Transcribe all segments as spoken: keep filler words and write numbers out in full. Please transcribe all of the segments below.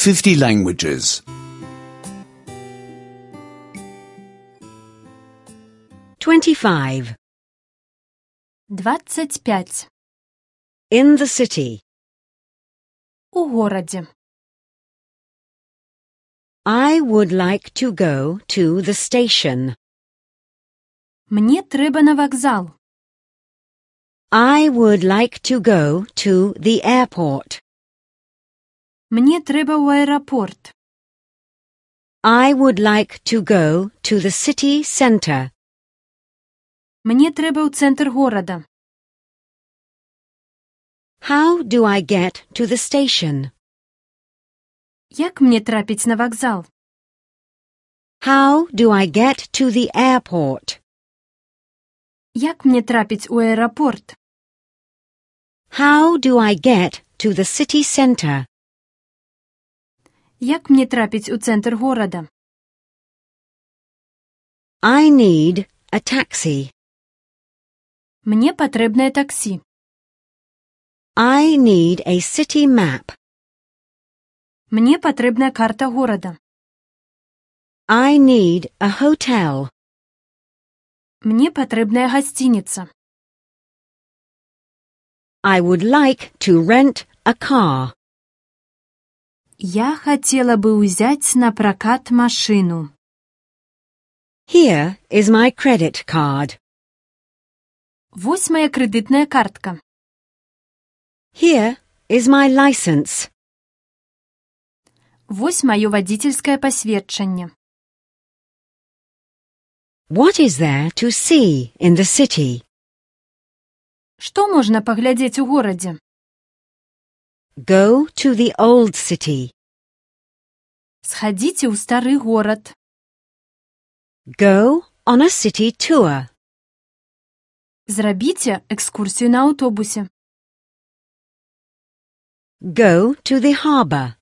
fifty languages. twenty-five. двадцать пять. In the city. У городе. I would like to go to the station. Мне трэба на вакзал. I would like to go to the airport. Мне трэба ў аэрапорт. I would like to go to the city center. Мне трэба ў цэнтр горада. How do I get to the station? Як мне трапіць на вакзал? How do I get to the airport? Як мне трапіць у аэрапорт? How do I get to the city center? Як мне трапіць у цэнтр горада? I need a taxi. Мне патрэбнае таксі. I need a city map. Мне патрэбная карта горада. I need a hotel. Мне патрэбная гасцініца. I would like to rent a car. Я хацела бы ўзяць на пракат машыну. Here is my credit card. Вось моя крэдытная картка. Here is my license. Вось маё вадзіцельскае пасведчанне. What is there to see in the city? Што можна паглядзець у горадзе? Go to the old city. Схадзіце ў стары горад. Go on a city tour. Зрабіце экскурсію на аўтобусе. Go to the harbor.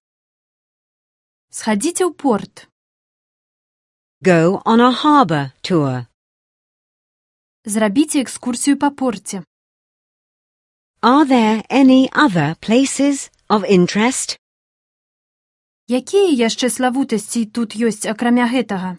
Схадзіце ў порт. Go on a harbor tour. Зрабіце экскурсію па порце. Are there any other places of interest? Якія яшчэ славутасці тут ёсць акрамя гэтага?